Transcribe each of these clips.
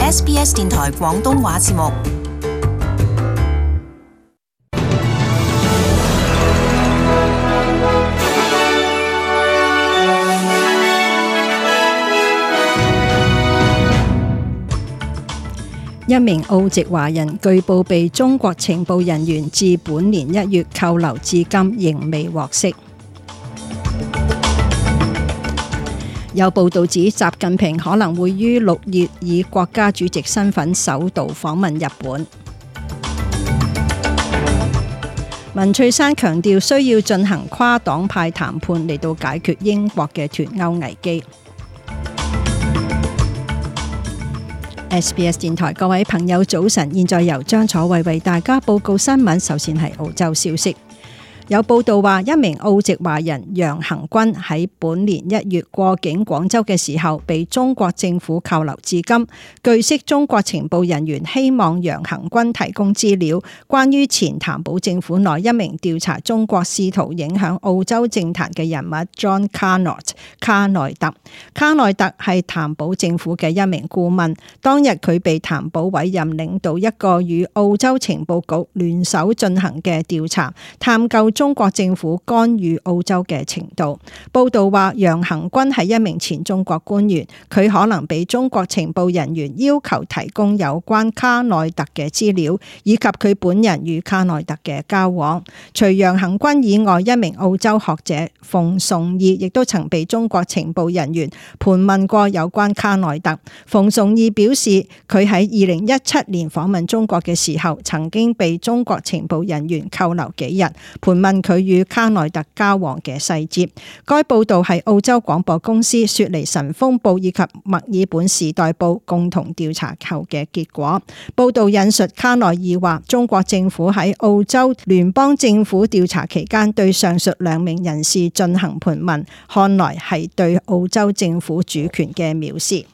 SBS 電台廣東話節目。一名澳籍華人據報被中國情報人員自本年1月扣留至今，仍未獲釋。有報道指習近平可能會於6月以國家主席身份首度訪問日本。文翠珊強調需要進行跨黨派談判嚟到解決英國嘅脫歐危機。SBS 電台各位朋友早晨，現在由張楚慧為大家報告新聞。首先係澳洲消息。有報道話，一名澳籍華人楊恒軍喺本年1月過境廣州嘅時候，被中國政府扣留至今。據悉，中國情報人員希望楊恒軍提供資料，關於前譚堡政府內一名調查中國試圖影響澳洲政壇嘅人物 John Carnot 卡內特。卡內特係譚堡政府嘅一名顧問，當日佢被譚堡委任領導一個與澳洲情報局聯手進行嘅調查，探究中國政府干預澳洲嘅程度。報道話，楊恒軍係一名前中國官員，佢可能被中國情報人員要求提供有關卡內特嘅資料，以及佢本人與卡內特嘅交往。除楊恒軍以外，一名澳洲學者馮崇義亦都曾被中國情報人員盤問過有關卡內特。馮崇義表示，佢喺2017年訪問中國嘅時候，曾經被中國情報人員扣留幾日，盤問佢與卡內特交往嘅細節。該報道係澳洲廣播公司、雪梨晨鋒報以及墨爾本時代報共同調查後嘅結果。報道引述卡內爾話，中國政府喺澳洲聯邦政府調查期間對上述2名人士進行盤問，看來係對澳洲政府主權嘅藐視。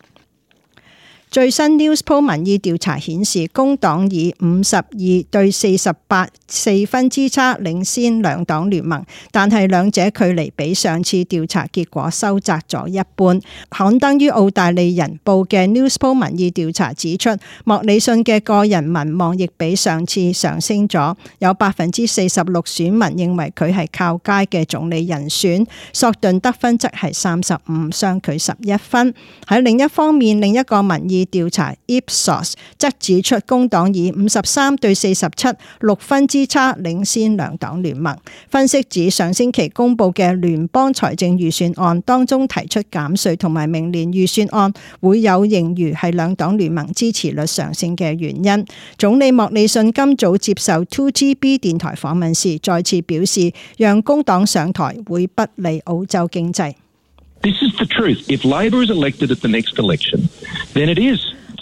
最新 Newspoll 民意調查顯示，工黨以52對48 4分之差領先兩黨聯盟，但係兩者距離比上次調查結果收窄咗一半。刊登於澳大利人報嘅 Newspoll 民意調查指出，莫里遜嘅個人民望亦比上次上升咗，有46%選民認為佢係靠街嘅總理人選，索頓得分則係35，相距11分。喺另一方面，另一個民意調查 Ipsos 則指出，工黨以53對47 6分之差領先兩黨聯盟。分析指，上星期公布嘅聯邦財政預算案當中提出減稅同埋明年預算案會有盈餘，係兩黨聯盟支持率上升嘅原因。總理莫里遜今早接受 2GB 電台訪問時再次表示，讓工黨上台會不利澳洲經濟。This is the truth. If Labor is elected at the next election, then it is.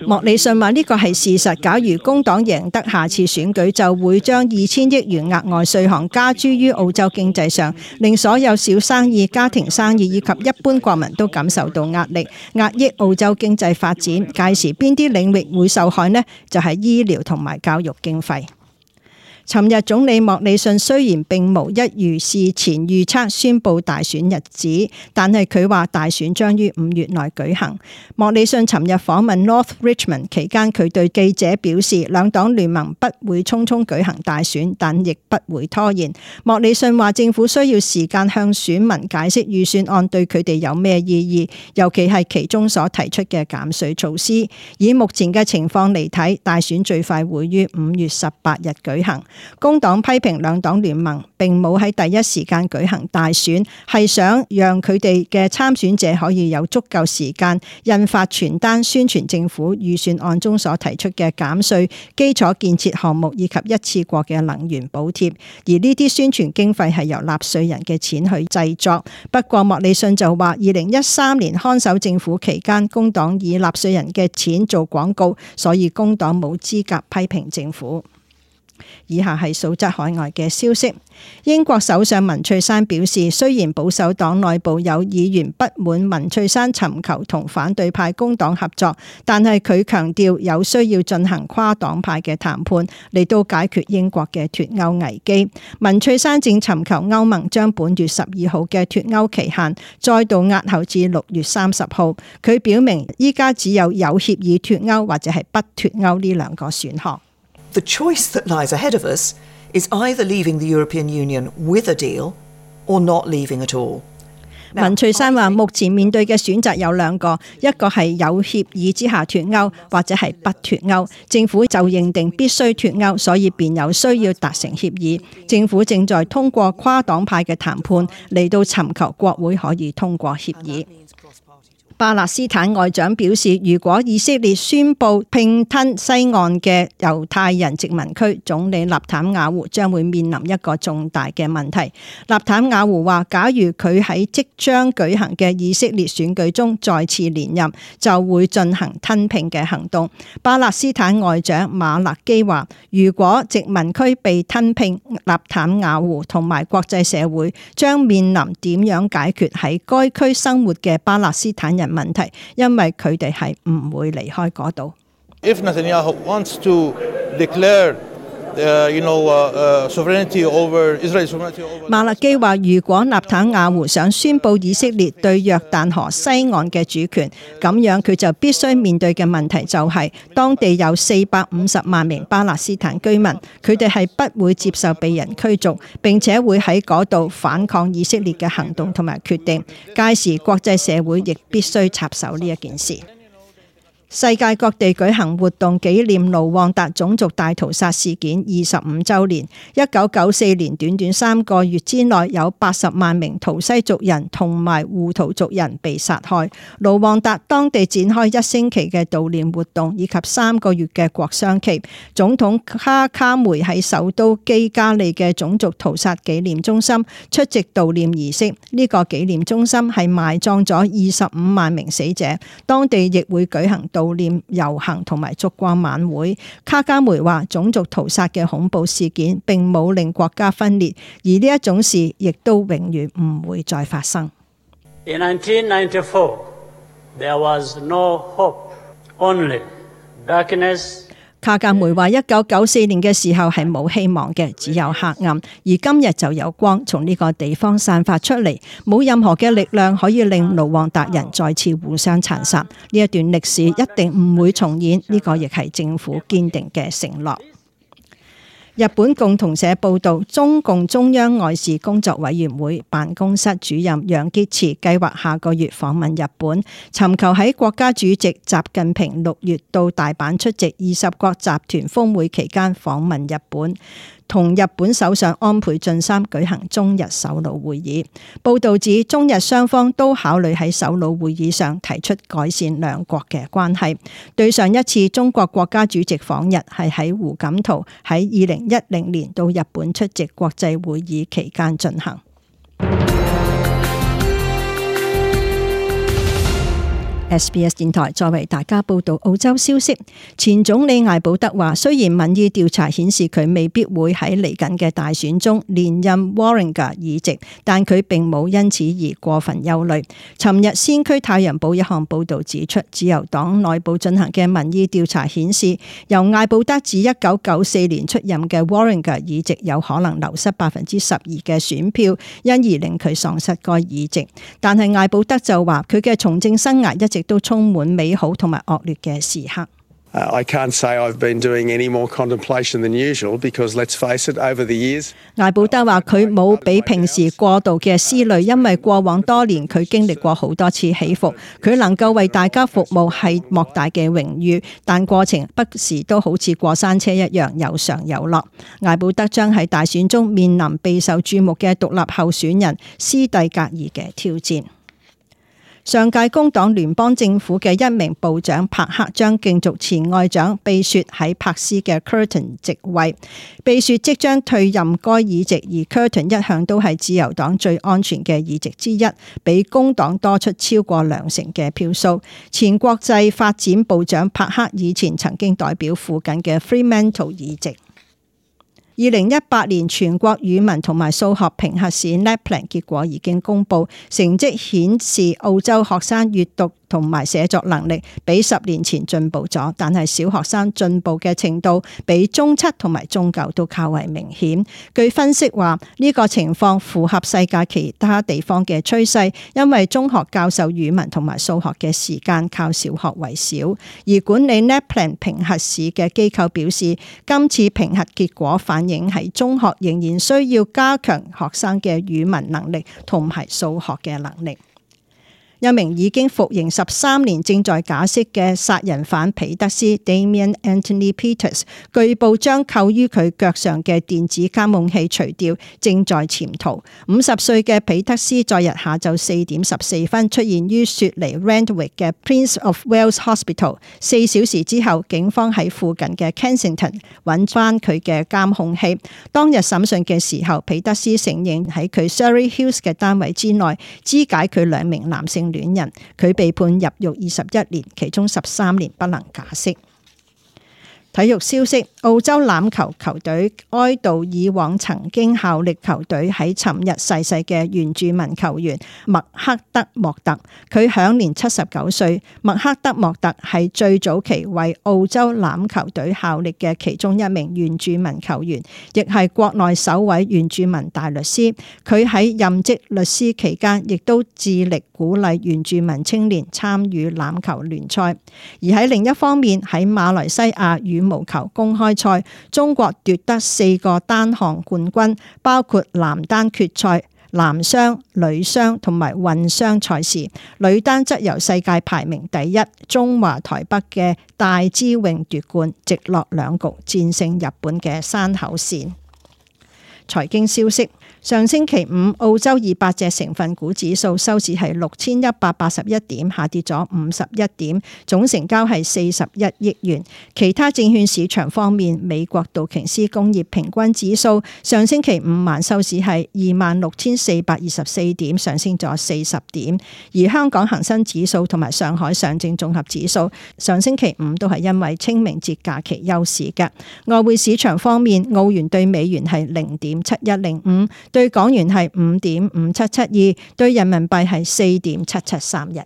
莫里遜話呢個係事實，假如工黨贏得下次選舉，就會將2000億元額外稅項加諸於澳洲經濟上，令所有小生意、家庭生意以及一般國民都感受到壓力，壓抑澳洲經濟發展。屆時邊啲領域會受害呢？就係醫療同埋教育經費。尋日總理莫里遜雖然並無一如事前預測宣布大選日子，但係佢話大選將於5月內舉行。莫里遜尋日訪問 North Richmond 期間，佢對記者表示，兩黨聯盟不會匆匆舉行大選，但亦不會拖延。莫里遜話政府需要時間向選民解釋預算案對佢哋有咩意義，尤其係其中所提出嘅減稅措施。以目前嘅情況嚟睇，大選最快會於5月18日舉行。工黨批評兩黨聯盟並冇喺第一時間舉行大選，係想讓佢哋嘅參選者可以有足夠時間印發傳單宣傳政府預算案中所提出嘅減稅、基礎建設項目以及一次過嘅能源補貼，而呢啲宣傳經費係由納稅人嘅錢去製作。不過莫里遜就話2013年看守政府期間，工黨以納稅人嘅錢做廣告，所以工黨冇資格批評政府。以下係數則海外嘅消息。英國首相文翠珊表示，雖然保守黨內部有議員不滿文翠珊尋求同反對派工黨合作，但係佢強調有需要進行跨黨派嘅談判嚟到解決英國嘅脫歐危機。文翠珊正尋求歐盟將本月12號嘅脫歐期限再度押後至6月30號。佢表明依家只有協議脫歐或者係不脫歐呢兩個選項。The choice that lies ahead of us is either leaving the European Union with a deal or not leaving at all. 文翠珊話：目前面對嘅選擇有兩個，一個係有協議之下脫歐，或者係不脫歐。政府就認定必須脫歐，所以便有需要達成協議。政府正在通過跨黨派嘅談判嚟到尋求國會可以通過協議。巴勒斯坦外長表示，如果以色列宣布併吞西岸嘅猶太人殖民區，總理納坦雅胡將會面臨一個重大嘅問題。納坦雅胡話，假如佢喺即將舉行嘅以色列選舉中再次連任，就會進行吞併嘅行動。巴勒斯坦外長馬勒基話，如果殖民區被吞併，納坦雅胡同埋國際社會將面臨點樣解決喺該區生活嘅巴勒斯坦人問題，因為佢哋係唔會離開嗰度。If Netanyahu wants to declare, sovereignty over Israel sovereignty over 馬勒基話，如果納坦雅胡想宣布以色列對約旦河西岸嘅主權，咁樣佢就必須面對嘅問題就係，當地有450萬名巴勒斯坦居民，佢哋係不會接受被人驅逐，並且會喺嗰度反抗以色列嘅行動同埋決定。屆時國際社會亦必須插手呢一件事。世界各地舉行活動紀念盧旺達種族大屠殺事件25週年。1994年短短3個月之內，有80萬名圖西族人同埋胡圖族人被殺害。盧旺達當地展開1星期嘅悼念活動，以及3個月嘅國殤期。總統哈卡梅喺首都基加利嘅種族屠殺紀念中心出席悼念儀式。呢個紀念中心係埋葬咗25萬名死者，當地亦會舉行悼念遊行同埋燭光晚會。卡加梅話，種族屠殺嘅恐怖事件並冇令國家分裂，而呢一種事亦都永遠唔會再發生。In 1994, there was no hope, only darkness. 卡加梅話：1994年嘅時候係冇希望嘅，只有黑暗，而今日就有光從呢個地方散發出嚟，冇任何嘅力量可以令盧旺達人再次互相殘殺。呢一段歷史一定唔會重演，呢個亦係政府堅定嘅承諾。日本共同社報道，中共中央外事工作委員會辦公室主任楊潔篪計劃下個月訪問日本，尋求喺國家主席習近平6月到大阪出席20國集團峰會期間訪問日本，同日本首相安倍晉三舉行中日首腦會議。報道指，中日雙方都考慮喺首腦會議上提出改善兩國嘅關係。對上一次中國國家主席訪日係喺胡錦濤喺2010年到日本出席國際會議期間進行。SBS 電台再為大家報道澳洲消息。前總理艾保德話，雖然民意調查顯示佢未必會喺嚟緊嘅大選中連任 Warringah 議席，但佢並冇因此而過分憂慮。尋日先驅太陽報一項報導指出，自由黨內部進行嘅民意調查顯示，由艾保德自1994年出任嘅 Warringah 議席有可能流失12%嘅選票，因而令佢喪失該議席。但係艾保德就話，佢嘅從政生涯一直都充滿美好同埋惡劣嘅時刻。I can't say I've been doing any more contemplation than usual because let's face it, over the years. 艾保德話佢冇比平時過度嘅思慮，因為過往多年佢經歷過好多次起伏，佢能夠為大家服務係莫大嘅榮譽，但過程不時都好似過山車一樣有上有落。艾保德將喺大選中面臨備受注目嘅獨立候選人斯蒂格爾嘅挑戰。上屆工黨聯邦政府嘅一名部長帕克將競逐前外長貝雪喺柏斯嘅 Curtin 席位。貝雪即將退任該議席，而 Curtin 一向都係自由黨最安全嘅議席之一，比工黨多出超過20%嘅票數。前國際發展部長帕克以前曾經代表附近嘅 Fremantle 議席。2018年全國語文同埋數學評核試 NAPLAN 結果已經公布，成績顯示澳洲學生閱讀同埋寫作能力比10年前進步咗，但係小學生進步嘅程度比中七同埋中九都較為明顯。據分析話，呢個情況符合世界其他地方嘅趨勢，因為中學教授語文同埋數學嘅時間靠小學為少。而管理 NAPLAN 評核試嘅機構表示，今次評核結果反映喺中學仍然需要加強學生嘅語文能力同埋數學嘅能力。一名已經服刑13年正在假釋嘅殺人犯彼得斯 Damien Anthony Peters， 據報將扣於佢腳上嘅電子監控器除掉，正在潛逃。50歲嘅彼得斯在日下晝4點14分出現於雪梨 Randwick 嘅 Prince of Wales Hospital。4小時之後，警方喺附近嘅 Kensington 揾翻佢嘅監控器。當日審訊嘅時候，彼得斯承認喺佢 Surrey Hills 嘅單位之內肢解佢2名男性戀人，佢被判入獄21年，其中13年不能假釋。體育消息，澳洲欖球球隊哀悼以往曾經效力球隊喺尋日逝世嘅原住民球員麥克德莫特，佢享年79歲。麥克德莫特係最早期為澳洲欖球隊效力嘅其中一名原住民球員，亦係國內首位原住民大律師。佢喺任職律師期間，亦都致力鼓勵原住民青年參與欖球聯賽。而喺另一方面，喺馬來西亞羽毛球公開賽，中國奪得4個單項冠軍，包括男單決賽、男雙、女雙同埋混雙賽事。女單則由世界排名第1中華台北嘅戴資穎奪冠，直落2局戰勝日本嘅山口茜。財經消息，上星期五澳洲200隻成分股指數收市係6181點，下跌咗51點，總成交係41億元。其他證券市場方面，美國道瓊斯工業平均指數上星期五晚收市係26,424點，上升咗40點。而香港恒生指數同埋上海上證綜合指數上星期五都係因為清明節假期休市嘅。外匯市場方面，澳元對美元係0.7105，對港元係5.5772，對人民幣係4.7731。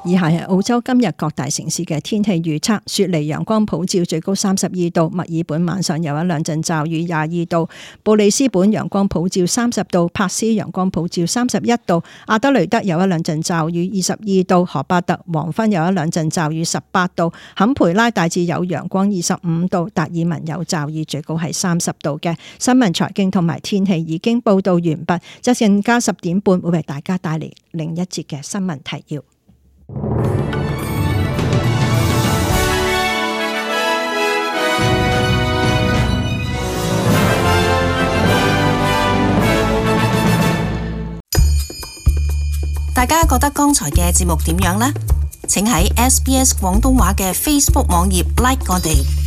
以下係澳洲今日各大城市嘅天氣預測：雪梨陽光普照，最高32度；墨爾本晚上有一兩陣驟雨，22度；布里斯本陽光普照30度；珀斯陽光普照31度；阿德雷德有一兩陣驟雨，22度；荷巴特黃昏有一兩陣驟雨，18度；坎培拉大致有陽光，25度；達爾文有驟雨，最高係30度嘅。新聞財經同埋天氣已經報道完畢，即陣間10點半會為大家帶嚟另一節嘅新聞提要。大家覺得剛才嘅節目點樣呢？請喺SBS 廣東話嘅 Facebook 網頁 like 我哋。